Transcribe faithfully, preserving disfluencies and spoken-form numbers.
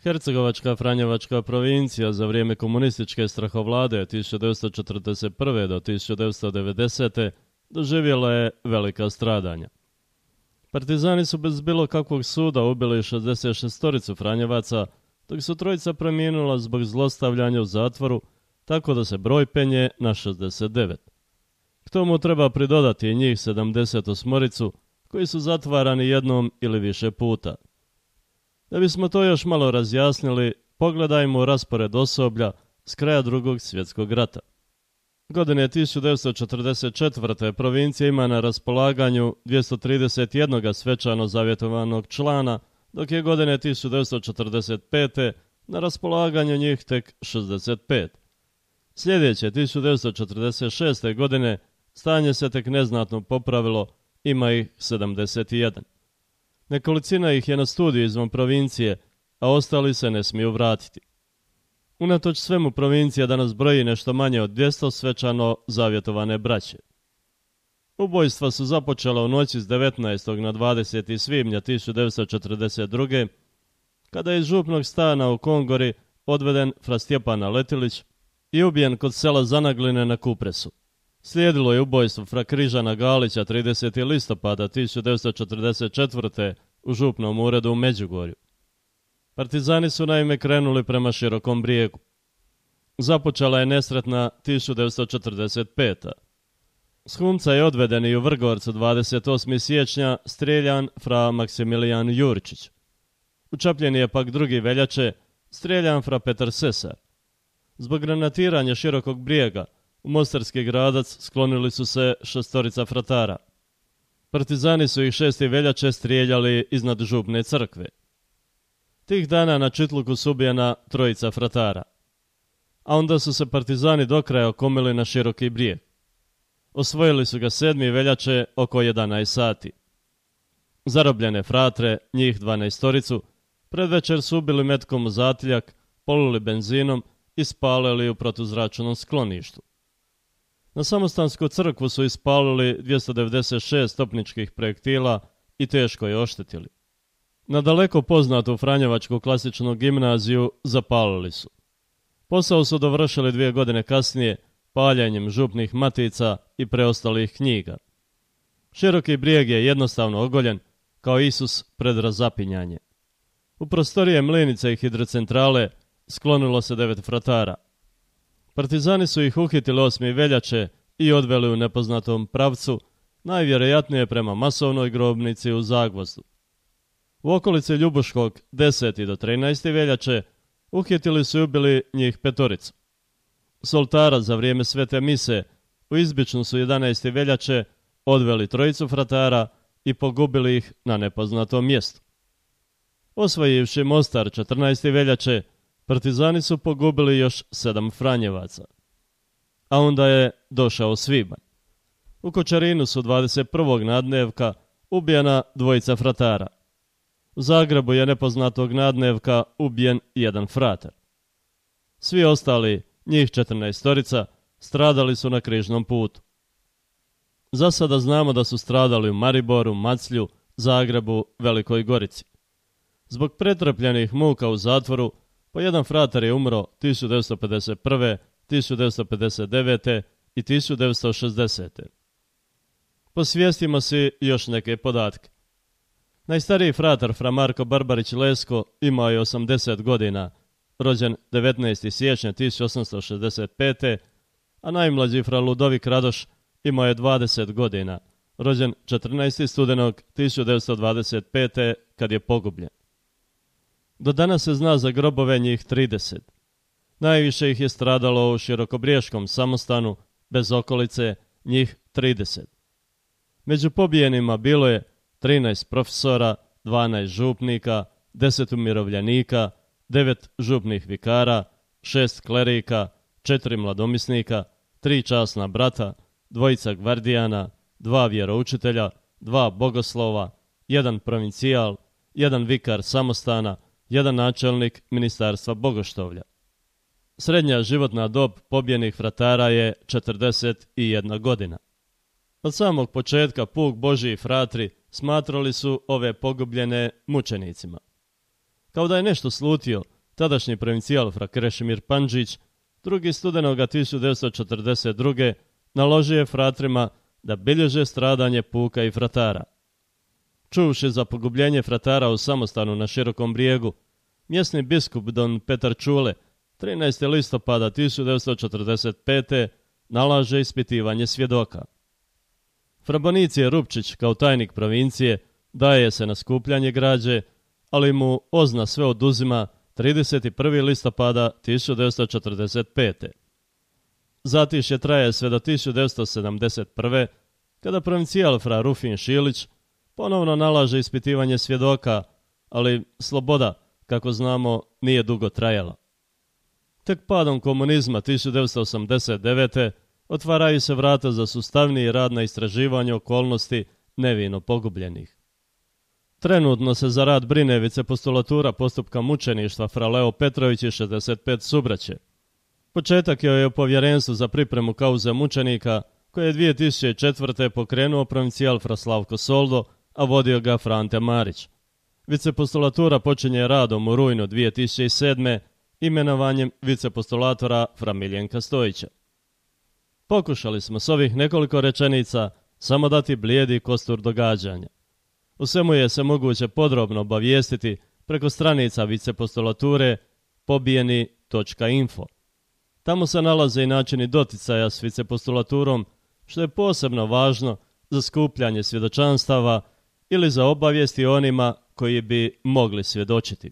Hercegovačka Franjevačka provincija za vrijeme komunističke strahovlade tisuću devetsto četrdeset prve do tisuću devetsto devedesete. doživjela je velika stradanja. Partizani su bez bilo kakvog suda ubili šezdeset šestoricu Franjevaca, dok su trojica preminula zbog zlostavljanja u zatvoru, tako da se broj penje na šezdeset devet. K tomu treba pridodati i njih sedamdeset osmoricu koji su zatvarani jednom ili više puta. Da bismo to još malo razjasnili, pogledajmo raspored osoblja s kraja drugog svjetskog rata. Godine tisuću devetsto četrdeset četvrte. provincija ima na raspolaganju dvjesto trideset jedan svečano zavjetovanog člana, dok je godine tisuću devetsto četrdeset pete. na raspolaganju njih tek šezdeset pet. Sljedeće tisuću devetsto četrdeset šeste. godine stanje se tek neznatno popravilo, ima ih sedamdeset jedan. Nekolicina ih je na studiju izvan provincije, a ostali se ne smiju vratiti. Unatoč svemu provincija danas broji nešto manje od dvjesto svečano zavjetovane braće. Ubojstva su započela u noći s devetnaestog na dvadeseti svibnja tisuću devetsto četrdeset druge. kada je iz župnog stana u Kongori odveden fra Stjepana Letilić i ubijen kod sela Zanagline na Kupresu. Slijedilo je ubojstvo fra Križana Galića tridesetog listopada tisuću devetsto četrdeset četvrte. u župnom uredu u Međugorju. Partizani su naime krenuli prema Širokom Brijegu. Započela je nesretna tisuću devetsto četrdeset pete. S Humca je odveden i u Vrgorcu dvadeset osmog siječnja strijeljan fra Maksimilijan Juričić. U Čapljini je pak drugi veljače strijeljan fra Petar Sesar. Zbog granatiranja Širokog Brijega u Mostarski Gradac sklonili su se šestorica fratara. Partizani su ih šesti veljače strijeljali iznad župne crkve. Tih dana na Čitluku su ubijena trojica fratara. A onda su se partizani do kraja okomili na Široki Brijeg. Osvojili su ga sedmog veljače oko jedanaest sati. Zarobljene fratre, njih dvanaestoricu, predvečer su ubili metkom u zatiljak, polili benzinom i spalili u protuzračnom skloništu. Na Samostansku crkvu su ispalili dvjesto devedeset šest topničkih projektila i teško je oštetili. Na daleko poznatu Franjevačku klasičnu gimnaziju zapalili su. Posao su dovršili dvije godine kasnije paljenjem župnih matica i preostalih knjiga. Široki Brijeg je jednostavno ogoljen, kao Isus pred razapinjanje. U prostorije mlinice i hidrocentrale sklonilo se devet fratara. Partizani su ih uhitili osmog veljače i odveli u nepoznatom pravcu, najvjerojatnije prema masovnoj grobnici u Zagvozdu. U okolici Ljubuškog desetog do trinaestog veljače uhitili su i ubili njih petoricu. S oltara za vrijeme svete mise u Izbičnu su jedanaestog veljače odveli trojicu fratara i pogubili ih na nepoznatom mjestu. Osvojivši Mostar četrnaestog veljače, partizani su pogubili još sedam Franjevaca. A onda je došao svibanj. U Kočarinu su dvadeset prvog nadnevka ubijena dvojica fratara. U Zagrebu je nepoznatog nadnevka ubijen jedan fratar. Svi ostali, njih četrnaestorica, stradali su na križnom putu. Za sada znamo da su stradali u Mariboru, Maclju, Zagrebu, Velikoj Gorici. Zbog pretrpljenih muka u zatvoru, po jedan fratar je umro tisuću devetsto pedeset prve, tisuću devetsto pedeset devete i tisuću devetsto šezdesete. Posvijestimo si još neke podatke. Najstariji fratar fra Marko Barbarić Lesko imao je osamdeset godina, rođen devetnaestog siječnja tisuću osamsto šezdeset pete. a najmlađi fra Ludovik Radoš imao je dvadeset godina, rođen četrnaestog studenog tisuću devetsto dvadeset pete. kad je pogubljen. Do danas se zna za grobove njih trideset. Najviše ih je stradalo u Širokobriješkom Samostanu, bez okolice, njih trideset. Među pobijenima bilo je trinaest profesora, dvanaest župnika, deset umirovljenika, devet župnih vikara, šest klerika, četiri mladomisnika, tri časna brata, dvojica gvardijana, dva vjeroučitelja, dva bogoslova, jedan provincijal, jedan vikar samostana, jedan načelnik ministarstva bogoštovlja. Srednja životna dob pobijenih fratara je četrdeset jedna godina. Od samog početka puk Božji i fratri smatrali su ove pogubljene mučenicima. Kao da je nešto slutio, tadašnji provincijal fra Krešimir Pandžić, drugi studenoga tisuću devetsto četrdeset druge naložio je fratrima da bilježe stradanje puka i fratara. Čuvši za pogubljenje fratara u samostanu na Širokom brijegu, mjesni biskup don Petar Čule trinaestog listopada tisuću devetsto četrdeset pete nalaže ispitivanje svjedoka. Fra Bonicije Rupčić kao tajnik provincije daje se na skupljanje građe, ali mu Ozna sve oduzima trideset prvog listopada tisuću devetsto četrdeset pete Zatišje traje sve do tisuću devetsto sedamdeset prve kada provincijal fra Rufin Šilić ponovno nalaže ispitivanje svjedoka, ali sloboda, kako znamo, nije dugo trajala. Tek padom komunizma tisuću devetsto osamdeset devete otvaraju se vrata za sustavniji rad na istraživanju okolnosti nevino pogubljenih. Trenutno se za rad brine vicepostulatura postupka mučeništva fra Leo Petrović i šezdeset pet subraće. Početak je u povjerenstvu za pripremu kauze mučenika koje je dvije tisuće četvrte pokrenuo provincijal fra Slavko Soldo, a vodio ga fra Ante Marić. Vicepostulatura počinje radom u rujnu dvije tisuće sedme imenovanjem vicepostulatora fra Miljenka Stojića. Pokušali smo s ovih nekoliko rečenica samo dati blijedi kostur događanja. U svemu je se moguće podrobno obavijestiti preko stranica vicepostulature pobijeni točka info. Tamo se nalaze i načini doticaja s vicepostulaturom, što je posebno važno za skupljanje svjedočanstava ili za obavijesti onima koji bi mogli svjedočiti.